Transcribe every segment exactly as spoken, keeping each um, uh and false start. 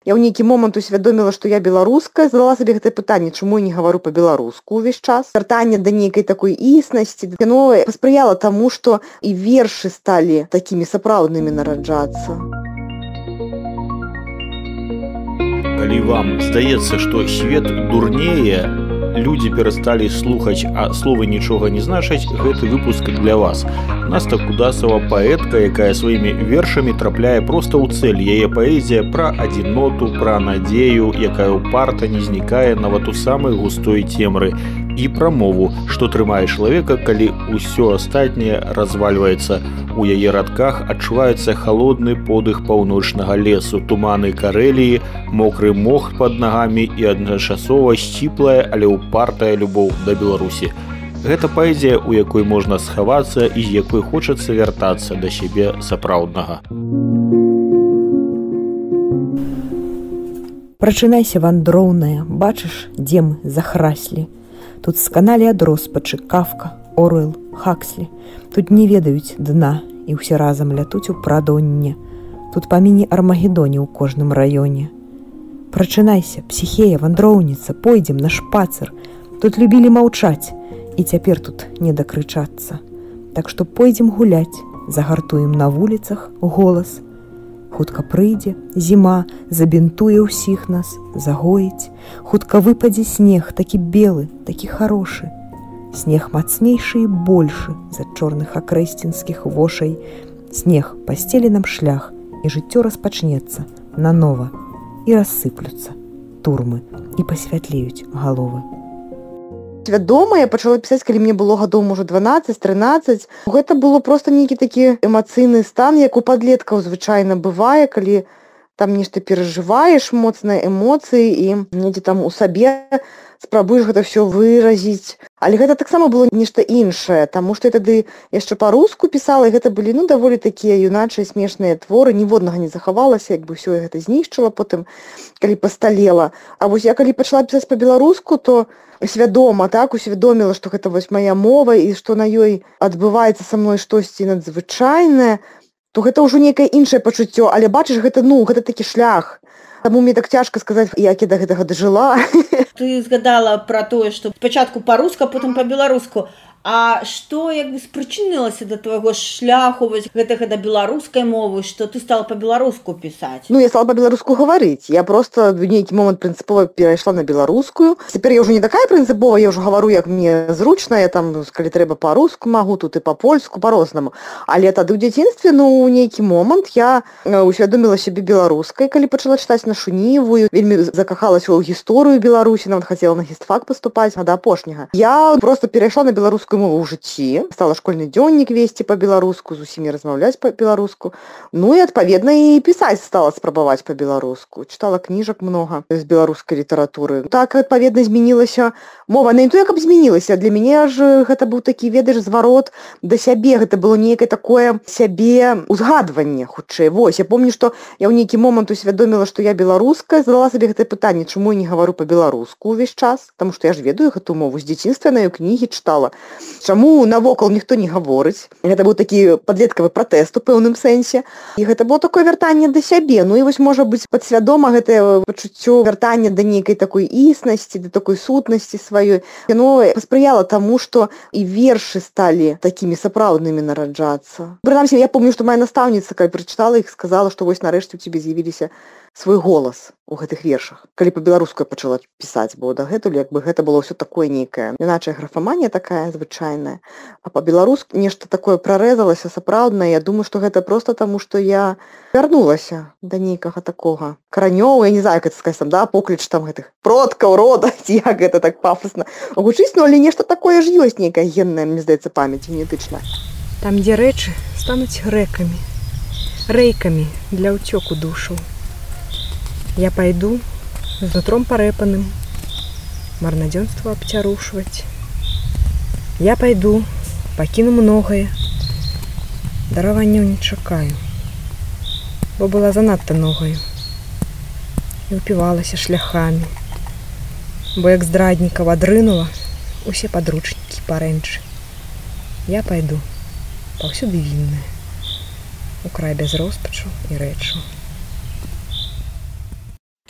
Я ў нейкі момант усвядоміла, што я беларуская, задала сабе гэтае пытанне, чаму я не гавару па-беларуску ўвесь час. Вяртанне да нейкай такой існасці, яно паспрыяла таму, што і вершы сталі такімі сапраўднымі нараджацца. Калі вам здаецца, што свет дурнее, людзі перасталі слухаць, а словы нічога не значаць, гэты выпуск для вас. Наста Кудасава паэтка, якая сваімі вершамі трапляе проста ў цэль. Яе паэзія пра адзіноту, пра надзею, якая ўпарта не знікае нават у самай густой цемры. І пра мову, што трымае чалавека, калі ўсё астатняе развальваецца. У яе радках адчуваецца халодны подых паўночнага лесу, туманы Карэліі, мокры мох пад нагамі і адначасова сціплая, але упартая любоў да Беларусі. Гэта паэзія, у якой можна схавацца і з якой хочацца вяртацца да сябе сапраўднага. Прачынайся, вандроўная, бачыш, дзе мы захраслі. Тут сканалі ад роспачы Кафка, Оруэл, Хакслі. Тут не ведаюць дна і ўсе разам лятуць у прадонне. Тут па міні-армагедоне ў кожным раёне. Прачынайся, псіхея, вандроўніца, пойдзем на шпацыр. Тут любілі маўчаць, і цяпер тут не дакрычацца. Так што пойдзем гуляць, загартуем на вуліцах голас. Хутка прыйдзе, зіма забінтуе ўсіх нас, загоіць. Хутка выпадзе снег, такі белы, такі харошы. Снег мацнейшы і большы за чорных акрэсцінскіх вошай. Снег пасцелі нам шлях, і жыццё распачнецца нанова. І рассыплюцца турмы, і пасвятлеюць галовы. Свядома я пачала пісаць, калі мне было гадоў, можа, дванаццаць-трынаццаць. Гэта было проста нейкі такі эмацыйны стан, як у падлеткаў звычайна бывае, калі там нешта перажываеш, моцныя эмоцыі, і недзе там у сабе спрабуеш гэта ўсё выразіць. Але гэта таксама было нешта іншае, таму што я тады яшчэ па-руску пісала, і гэта былі, ну, даволі такія юначыя смешныя творы, ніводнага не захавалася, як бы ўсё гэта знішчыла потым, калі пасталела. А вось я калі пачала пісаць па-беларуску, то свядома, так, усвядоміла, што гэта вось мая мова, і што на ёй адбываецца са мной штосьці надзвычайнае, то гэта ўжо нейкае іншае пачуццё, але бачыш, гэта, ну, гэта такі шлях. Таму мне так цяжка сказаць, як я да гэтага дажыла. Ты згадала пра тое, што спачатку па-руску, а потым па-беларуску. А што як бы спрычынілася да твайго шляху вось гэтага да беларускай мовы, што ты стала па-беларуску пісаць? Ну, я стала па-беларуску гаварыць. Я проста в нейкі момант прынцыпова перайшла на беларускую. Цяпер я ўжо не такая прынцыповая, я ўжо гавару, як мне зручна, я там, калі трэба па-руску магу, тут і па-польску, па-рознаму. Але тады ў дзяцінстве, ну, у нейкі момант я усвядоміла сябе беларускай, калі пачала чытаць нашу Ніву, вельмі закахалася ў гісторыю Беларусі, нават хацела на гістфак паступаць, а да апошняга. Я проста перайшла на беларускую мову ў жыцці, стала школьны дзённік весці па-беларуску, з усімі размаўляць па-беларуску. Ну і, адпаведна, і пісаць стала спрабаваць па-беларуску. Чытала кніжак многа з беларускай літаратуры. Так, адпаведна, змянілася мова. Не то, як аб змянілася. Для мяне ж гэта быў такі, ведаеш, зварот да сябе. Гэта было нейкае такое сябе узгадванне, хутчэй. Вось, я помню, што я ў нейкі момант усвядоміла, што я беларуская, задала сабе гэтае пытанне, чаму я не гавару па-беларуску ўвесь час, таму што я ж ведаю гэту мову. З дзяцінства на ёй кнігі чытала. Чаму навокал ніхто не гаворыць? Гэта быў такі падлеткавы пратэст у пэўным сэнсе. І гэта было такое вяртанне да сябе. Ну і вось, можа быць, падсвядома гэтае пачуццё вяртання да нейкай такой існасці, да такой сутнасці сваёй. Яно паспрыяла таму, што і вершы сталі такімі сапраўднымі нараджацца. Прынамсі, я помню, што моя настаўніца, калі прачытала іх, сказала, што вось нарэшце ў цябе з'явіліся свой голас у гэтых вершах. Калі па-беларуску я пачала пісаць, бо дагэтуль як бы гэта было ўсё такое нейкае. Іначая графаманія такая звычайная. А па-беларуску нешта такое прарэзалася сапраўднае. Я думаю, што гэта проста таму, што я вярнулася да нейкага такога каранёў, я не знаю, як это сказаць, там, да, покліч там гэтых продкаў, рода, ці як гэта так пафасна гучыць, ну, але нешта такое ж ёсць нейкая генная, мне здаецца, памяць генетычная. Там, дзе рэчы стануць рэкамі, рэйкамі для ўцёку душу. Я пайду з нутром парэпаным, марнадзёнства абцярушваць. Я пайду, пакіну многае, дараванняў не чакаю, бо была занадта ногаю і ўпівалася шляхамі, бо як здраднікаў адрынула усе падручнікі парэнчы. Я пайду, паўсюды вінная, у край без роспачу і рэчу.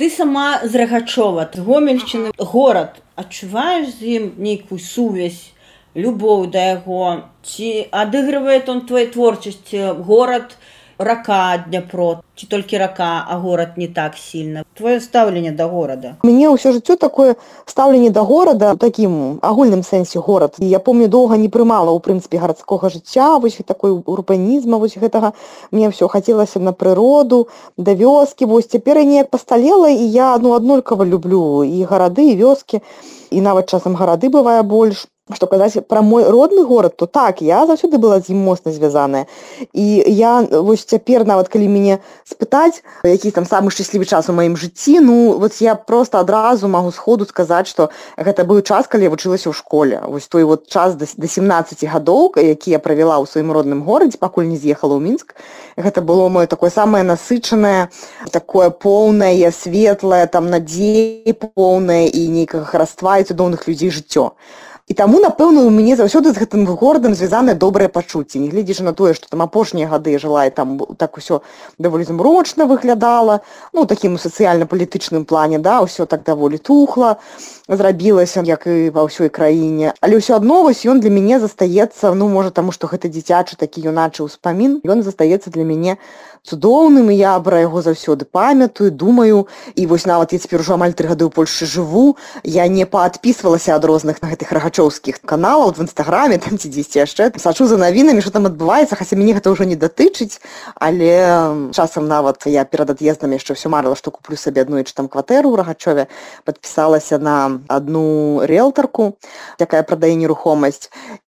Ты сама з Рагачова, з Гомельшчыны, горад. Адчуваеш з ім нейкую сувязь, любоў да яго? Ці адыгрывае он твоей творчасці? Горад, рака, Дняпро, ці толькі рака, а горад не так сильно? Твоё стаўленне да горада? Мне ўсё жыццё такое стаўленне да горада, у такім агульным сэнсе горад. І я помню, доўга не прымала, у прынцыпе, гарадскога жыцця, вось такой урбанізма, вось гэтага. Мне ўсё хацелася на прыроду, да вёскі. Вось цяпер я неяк пасталела, і я ну, аднолькава люблю і гарады, і вёскі, і нават часам гарады бывае больш. Што казаць пра мой родны горад, то так, я заўсёды была з ім моцна звязаная. І я вось цяпер, нават калі мяне спытаць, які там самы шчаслівы час у маім жыцці, ну, вот я проста адразу магу сходу сказаць, што гэта быў час, калі я вучылася ў школе. Вось той вот час да сямнаццаці гадоў, які я правяла ў сваім родным горадзе, пакуль не з'ехала ў Мінск. Гэта было моё такое самае насычанае, такое поўнае, светлае, там надзеі поўнае і нейкага хараства і цудоўных людзей жыццё. І таму, напэўна, у мяне заўсёды з гэтым горадам звязанае добрае пачуцце. Не гледзячы на тое, што там апошнія гады я жыла, і там так усё даволі змрочна выглядала, ну, у такім сацыяльна-палітычным плане, да, усё так даволі тухла зрабілася, як і ва ўсёй краіне. Але ўсё адно вось ён для мяне застаецца, ну, можа, таму, што гэта дзіцячы такі юначы ўспамін, ён застаецца для мяне цудоўным, і я пра яго заўсёды памятаю, думаю. І вось нават я цяпер ужо амаль тры гады ў Польшчы жыву, я не паадпісвалася ад розных на гэтых рагачоўскіх каналаў в інстаграме, там ці дзесьці яшчэ. Сачу за навінамі, што там адбываецца, хаця мяне гэта ўжо не датычыць, але часам нават я перад ад'ездам яшчэ ўсё марыла, што куплю сабе аднойчы там кватэру ў Рагачове, падпісалася на адну рыэлтарку, якая прадае нерухомасць.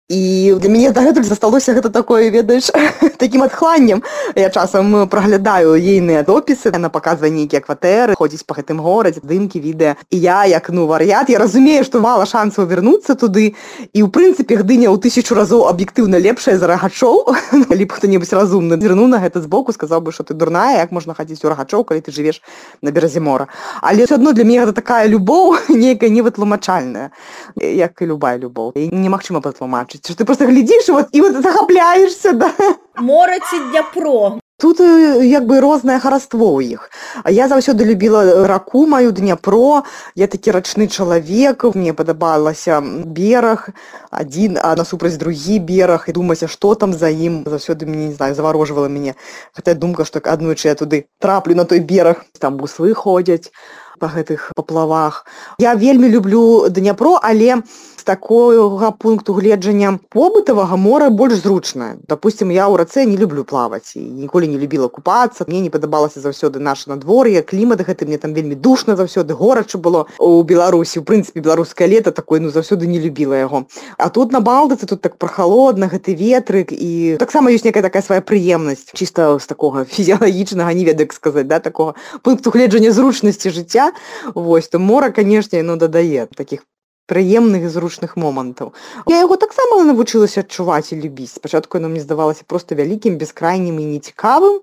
І для мяне дагэтуль засталося гэта такое, ведаеш, такім адхланнем. Я часам праглядаю ейныя допісы, яна паказвае нейкія кватэры, ходзіць па гэтым горадзе, здымкі, відэа. І я, як ну вар'ят, я разумею, што мала шансаў вярнуцца туды. І ў прынцыпе Гдыня ў тысячу разоў аб'ектыўна лепшая за Рагачоў. Калі б хто-небудзь разумны зірнуў на гэта збоку, сказаў бы, што ты дурная, як можна хадзіць у Рагачоў, калі ты жывеш на беразе мора. Але ўсё адно для мяне гэта такая любоў, нейкая невытлумачальная, як і любая любоў. І немагчыма патлумачыць. Что ты просто глядишь, вот, и вот захапляешься, да. Море ці Дняпро? Тут як бы рознае хараство ў іх. Я заўсёды любіла раку маю, Дняпро. Я такі рачны чалавек. Мне падабалася бераг адзін, а насупраць другі бераг. І думася, што там за ім. Заўсёды мне, не знаю, заварожвала мяне. Хаця думка, што аднойчы я туды траплю на той бераг. Там буслы ходзяць па гэтых паплавах. Я вельмі люблю Дняпро, але з такога пункту гледжання побытавага мора больш зручнае. Допустим, я ў рацэ не люблю плаваць і ніколі не любіла купацца. Мне не падабалася заўсёды наша надвор'е, клімат гэты, мне там вельмі душна заўсёды, горача было у Беларусі. У прынцыпе, беларускае лета такое, ну, заўсёды не любіла яго. А тут на Балтыцы, тут так прахалодна, гэты ветрык, і таксама ёсць некая такая свая прыемнасць, чыста з такога фізіялагічнага, не ведаю, як сказаць, да, такога пункту гледжання зручнасці жыцця. Вось, то мора, канешне, ну, дадае такіх прыемных і зручных момантаў. Я яго таксама навучылася адчуваць і любіць. Спачатку яно мне здавалася проста вялікім, бескрайнім і нецікавым,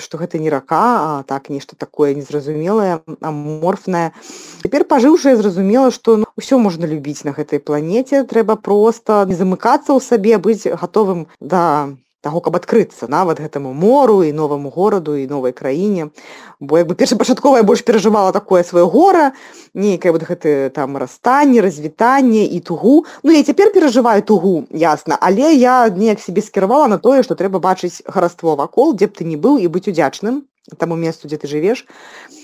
што гэта не рака, а так нешта такое незразумелае, аморфнае. Цяпер пажыўшы, я зразумела, што ну, ўсё можна любіць на гэтай планеце, трэба проста не замыкацца ў сабе, быць гатовым да таго, каб адкрыцца нават гэтаму мору і новаму гораду і новай краіне. Бо як бы першапачаткова я больш перажывала такое сваё гора, нейкае вот гэты там расстанне, развітанне і тугу. Ну, я цяпер перажываю тугу, ясна, але я неяк сябе скіравала на тое, што трэба бачыць хараство вакол, дзе б ты ні быў, і быць удзячным таму месту, дзе ты жывеш.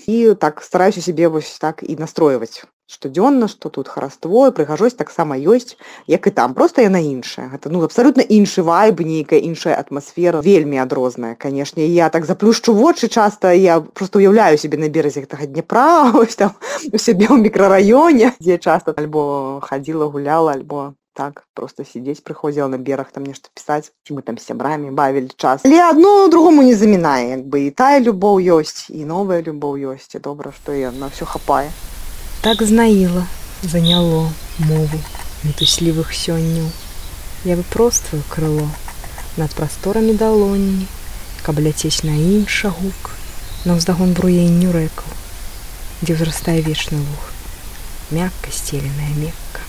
І так стараюся сябе вось так і настройваць штодзённа, што тут хараство, і прыгажосць таксама ёсць, як і там, проста яна іншая. Гэта ну абсалютна іншы вайб, нейкая іншая атмасфера, вельмі адрозная, канешне. Я так заплюшчу вочы часта, я проста уяўляю сябе на беразе гэтага Дняпра, ось там у сябе ў мікрараёне, дзе часта альбо хадзіла, гуляла, альбо так, просто сидзець прыходзіла на бераг, там нешта пісаць, ці мы там з сябрамі бавілі час. Але адно другому не замінае, як бы і тая любоў ёсць, і новая любоў ёсць, і добра, што і на ўсё хапае. Так знаіла, заняло мову мітуслівых сённяў. Я выпроствую крыло над прасторамі далонні, каб ляцець на інша гук, на ўздагон бруенню рэкаў, дзе ўзрастае вечны луг, мякка сцеленая мекка.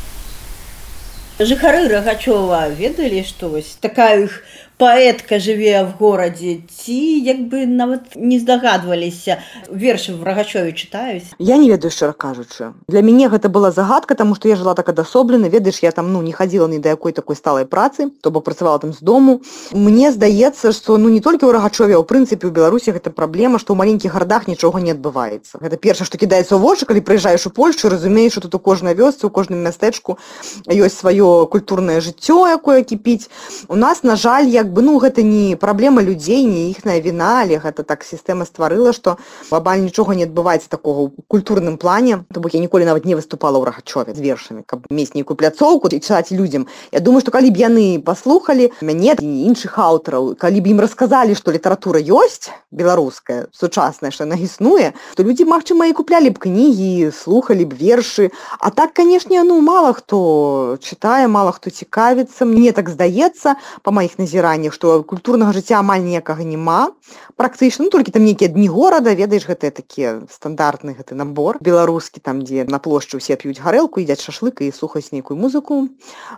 Жыхары Рагачова ведалі, што вось такая іх паэтка жыве в горадзе, ці як бы нават не здагадваліся? Вершы в Рагачове чытаюць? Я не ведаю, шчыра кажучы. Для мяне гэта была загадка, таму што я жыла так адасоблена, ведаеш, я там ну не хадзіла ні да якой такой сталай працы, то бок працавала там з дому. Мне здаецца, што ну не толькі ў Рагачове, а ў прынцыпе ў Беларусі гэта праблема, што ў маленькіх гарадах нічога не адбываецца. Гэта першае, што кідаецца ў вочы, калі прыязджаеш у Польшчу, разумееш, што тут у кожнай вёсцы, у кожным мястэчку ёсць сваё культурнае жыццё, якое кіпіць. У нас, на жаль, як бы ну гэта не праблема людзей, не іхная віна, але гэта так сістэма стварыла, што глобальна нічога не адбываецца такога ў культурным плане. То бок я ніколі нават не выступала ў Рагачове з вершамі, каб мець нейкую пляцоўку і чытаць людзям. Я думаю, што калі б яны паслухалі мяне і іншых аўтараў, калі б ім расказалі, што літаратура ёсць беларуская, сучасная, што яна існуе, то людзі, магчыма, і куплялі б кнігі, слухалі б вершы. А так, канешне, ну мала хто чытае, мала хто цікавіцца. Мне так здаецца, па маіх назіраннях, што культурнага жыцця амаль ніякага няма. Практычна, ну толькі там нейкія дні горада, ведаеш, гэта такі стандартны гэты набор беларускі, там, дзе на плошчы ўсе п'юць гарэлку, ядзяць шашлык і слухаюць нейкую музыку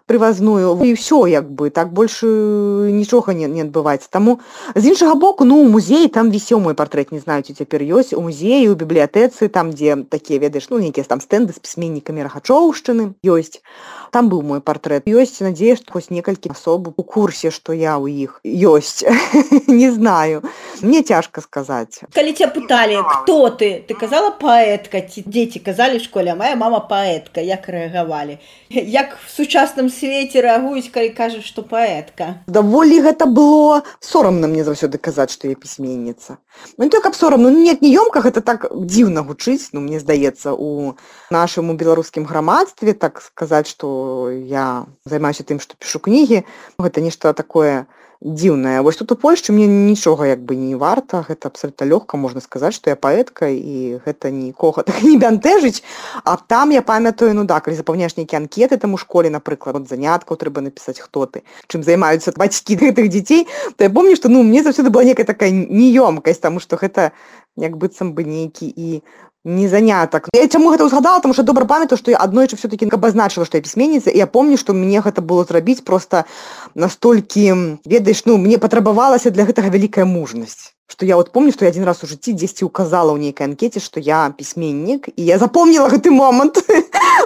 прывазную. І ўсё, як бы, так больш нічога не, не адбываецца. Таму, з іншага боку, ну, у музеі там вісеў мой партрэт, не знаю, ці цяпер ёсць, у музеі, у бібліятэцы, там, дзе такія, ведаеш, ну, нейкія там стэнды з пісьменнікамі Рагачоўшчыны ёсць. Там быў мой партрэт. Ёсць, надзея, што хоць некалькі асоб у курсе, што я ў іх ёсць. Не знаю. Мне цяжка сказаць. Калі ця пыталі, хто ты? Ты казала паэтка, ці дзеці казалі в школе, а моя мама паэтка. Як рэагавалі? Як в сучасным свеце рэагуюць, калі кажаш, што паэтка? Даволі гэта было сорамна мне заўсёды казаць, што я пісьменніца. Ну, не то, каб сорамна, ну, нет, не ёмка, гэта так дзіўна гучыць, ну, мне здаецца, у нашым беларускім грамадстве, так сказаць, што я займаюся тым, што пішу кнігі, гэта нешта такое дзіўнае. Вось тут у Польшчы мне нічога як бы не варта, гэта абсалютна лёгка, можна сказаць, што я паэтка, і гэта нікога так не бянтэжыць. А там я памятаю, ну да, калі запаўняеш нейкія анкеты там у школе, напрыклад, от заняткаў трэба напісаць, хто ты, чым займаюцца бацькі гэтых дзяцей, то я помню, што ну мне заўсёды была некая такая неёмкасць, таму што гэта як быццам бы нейкі і не занятак. Я чаму гэта ўзгадала, таму што добра памятаю, што я аднойчы все-таки абазначыла, што я пісьменніца, і я помню, што мне гэта было зрабіць просто настолькі, ведаеш, ну, мне патрабавалася для гэтага вялікая мужнасць. Што я вот помню, што я адзін раз у жыцці дзесьці указала ў нейкай анкеце, што я пісьменнік, і я запомніла гэты момант.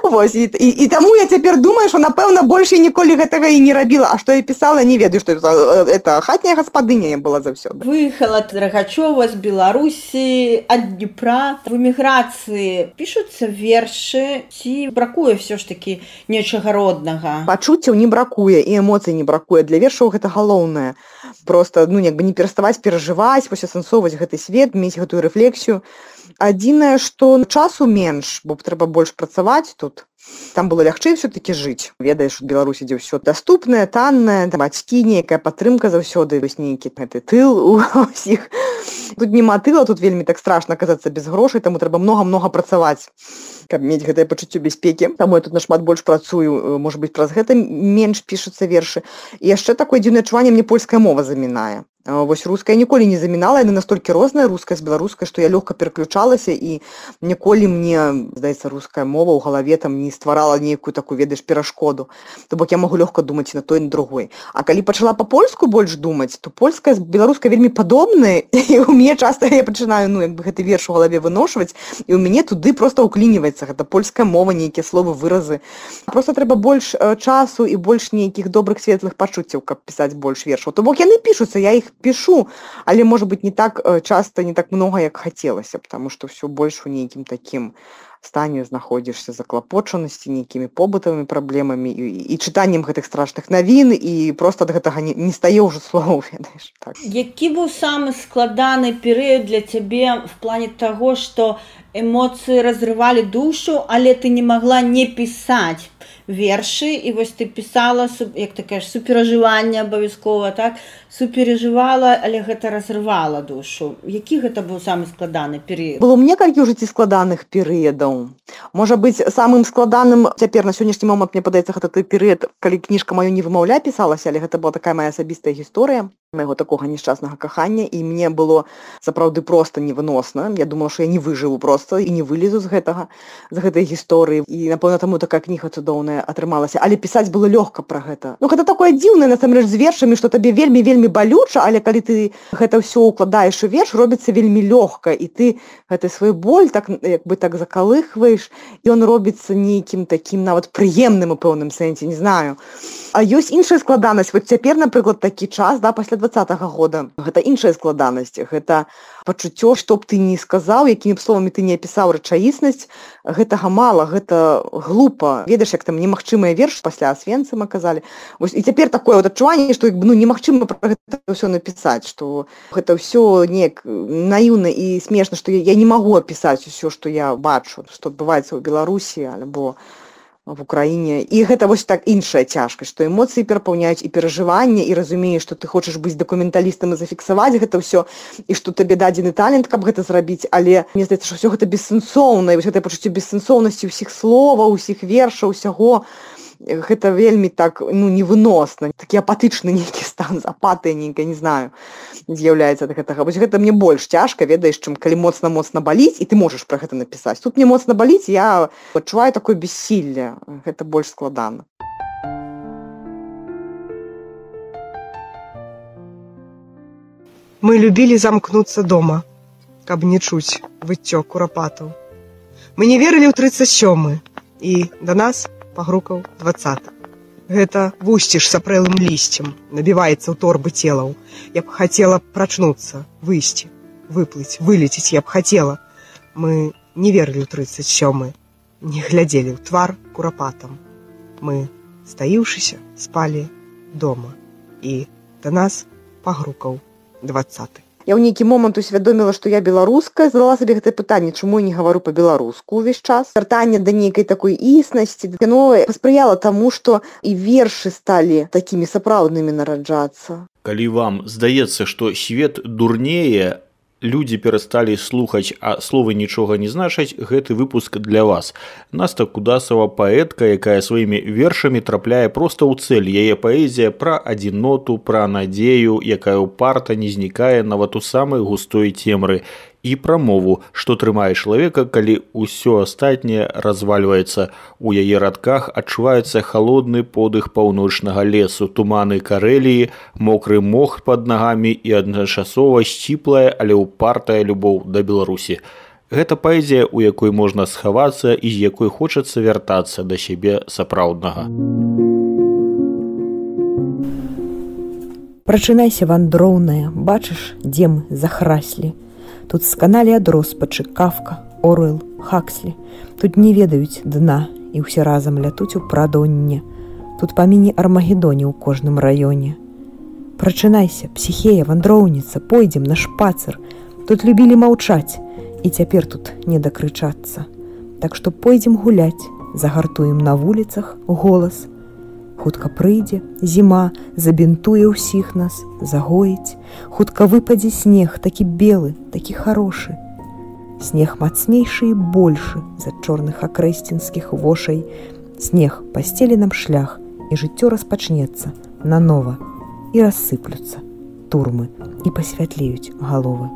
Вось, і, і, і таму я цяпер думаю, што, напэўна, больш я ніколі гэтага і не рабіла. А што я пісала, не ведаю, што это, это хатняя гаспадыня я была заўсёды. Выехала з Рагачова, з Беларусі, ад Дніпра. В эміграцыі пішуцца вершы, ці бракуе ўсё ж такі нечага роднага? Пачуццяў не бракуе, і эмоцый не бракуе. Для вершаў гэта галоўнае. Просто, ну, як бы не пераставаць перажываць, асэнсоўваць гэты свет, мець гэтую рэфлексію. Адзінае, што часу менш, бо трэба больш працаваць тут. Там было лягчэй все-таки жыць. Ведаеш, у Беларусі, дзе ўсё даступнае, таннае, бацькі, нейкая падтрымка заўсёды, ёсць нейкі гэты тыл у ўсіх. Тут нема тыла, тут вельмі так страшна аказацца без грошай, таму трэба многа-многа працаваць, каб мець гэтае пачуццё бяспекі. Таму я тут нашмат больш працую, можа быць, праз гэта менш пішуцца вершы. І яшчэ такое дзіўнае адчуванне, мне польская мова замінае. Вось руская ніколі не замінала, яна настолькі розная, руская з беларускай, што я лёгка пераключалася, і ніколі мне, здаецца, руская мова ў галаве там не стварала нейкую такую, ведаеш, перашкоду. То бок я магу лёгка думаць і на той, і на другой. А калі пачала па-польску больш думаць, то польская з беларускай вельмі падобныя, і ў мяне часта я пачынаю, ну, як бы гэты верш у галаве выношваць, і ў мяне туды проста ўклініваецца гэта польская мова, нейкія словы, выразы. Проста трэба больш часу і больш нейкіх добрых светлых пачуццяў, каб пісаць больш вершаў. То бок яны пішуцца, я іх пишу, але, может быть, не так часто, не так много, як хацелася, потому что все больш у нейкім такім стане знаходзішся заклапочанасці нейкімі побытавымі праблемамі і, і чытаннем гэтых страшных навін, і просто ад гэтага не, не стае ўжо слоў, ведаеш. Так. Які быў самы складаны перыяд для цябе в плане таго, што эмоцыі разрывалі душу, але ты не магла не пісаць вершы, і вось ты пісала, як ты кажаш, суперажыванне абавязкова, так? Суперажывала, але гэта разрывала душу. Які гэта быў самы складаны перыяд? Было некалькі ў жыцці складаных перыядаў. Можа быць, самым складаным цяпер на сённяшні момант, мне падаецца, гэта той перыяд, калі кніжка маё «Не вымаўляй» пісалася, але гэта была такая моя асабістая гісторыя майго такога няшчаснага кахання, і мне было сапраўды проста невыносна. Я думала, што я не выжыву проста і не вылезу з гэтага, з гэтай гісторыі. І, напэўна, таму такая кніга цудоўная. цудоўнае атрымалася, але пісаць было лёгка пра гэта. Ну гэта такое дзіўнае насамрэч з вершамі, што табе вельмі вельмі балюча, але калі ты гэта ўсё укладаеш у верш, робіцца вельмі лёгка, і ты гэты свой боль так як бы так закалыхваеш, і ён робіцца нейкім такім нават прыемным у пэўным сэнсе, не знаю. А ёсць іншая складанасць. Вот цяпер, напрыклад, такі час, да, пасля двадцатага года. Гэта іншая складанасць. Гэта пачуццё, што б ты не сказаў, якімі б словамі ты не апісаў рэчаіснасць, гэтага мала, гэта глупа. Ведаеш, як там немагчымыя верш пасля Асвенцыма казалі. Вось і цяпер такое вот адчуванне, што ну немагчыма пра гэта ўсё напісаць, што гэта ўсё неяк наіўна і смешна, што я, я не магу апісаць усё, што я бачу, што адбываецца ў Беларусі альбо в Украіне. І гэта вось так іншая цяжкасць, што эмоцыі перапаўняюць і перажыванне, і разумееш, што ты хочаш быць дакументалістам і зафіксаваць гэта ўсё, і што табе дадзены талент, каб гэта зрабіць, але мне здаецца, што ўсё гэта бессэнсоўна, і вось гэтае пачуццё бессэнсоўнасці ўсіх словаў, усіх вершаў, усяго, гэта вельмі так, ну, невыносна. Такі апатычны нейкі стан, апатыя нейкая, не знаю, з'яўляецца ад гэтага. Вось гэта мне больш цяжка, ведаеш, чым калі моцна-моцна баліць, і ты можаш пра гэта напісаць. Тут мне моцна баліць, я адчуваю такое бессілле. Гэта больш складана. Мы любілі замкнуцца дома, каб не чуць выццё курапатаў. Мы не верылі ў трыццаць сёмы, і да нас пагрукаў дваццаты. Гэта вусціш сапрэлым лісцем, набіваецца ў торбы целаў. Я б хацела прачнуцца, выйсці, выплыць, вылецець я б хацела. Мы не верылі ў трыццаць сёмы, не глядзелі ў твар курапатам. Мы, стаіўшыся, спалі дома. І да нас пагрукаў дваццаты. Я ў нейкі момант усвядоміла, што я беларуская, задала сабе гэтае пытанне, чаму я не гавару па-беларуску ўвесь час. Вяртанне да нейкай такой існасці, яно паспрыяла таму, што і вершы сталі такімі сапраўднымі нараджацца. Калі вам здаецца, што свет дурнее, людзі перасталі слухаць, а словы нічога не значаць, гэты выпуск для вас. Наста Кудасава паэтка, якая сваімі вершамі трапляе проста ў цэль. Яе паэзія пра адзіноту, пра надзею, якая ўпарта не знікае нават у самай густой цемры. І пра мову, што трымае чалавека, калі ўсё астатняе развальваецца. У яе радках адчуваецца халодны подых паўночнага лесу, туманы Карэліі, мокры мох пад нагамі і адначасова сціплая, але ўпартая любоў да Беларусі. Гэта паэзія, у якой можна схавацца і з якой хочацца вяртацца да сябе сапраўднага. Прачынайся, вандроўная, бачыш, дзе мы захраслі. Тут сканалі ад роспачы Кафка, Оруэл, Хакслі. Тут не ведаюць дна, і ўсе разам лятуць у прадонне. Тут па міні-армагедоне ў кожным раёне. Прачынайся, псіхея, вандроўніца, пойдзем на шпацыр. Тут любілі маўчаць, і цяпер тут не дакрычацца. Так што пойдзем гуляць, загартуем на вуліцах голас. Хутка прыйдзе, зіма забінтуе ўсіх нас, загоіць. Хутка выпадзе снег, такі белы, такі харошы. Снег мацнейшы і большы за чорных акрэсцінскіх вошай. Снег пасцелі нам шлях, і жыццё распачнецца нанова. І рассыплюцца турмы, і пасвятлеюць галовы.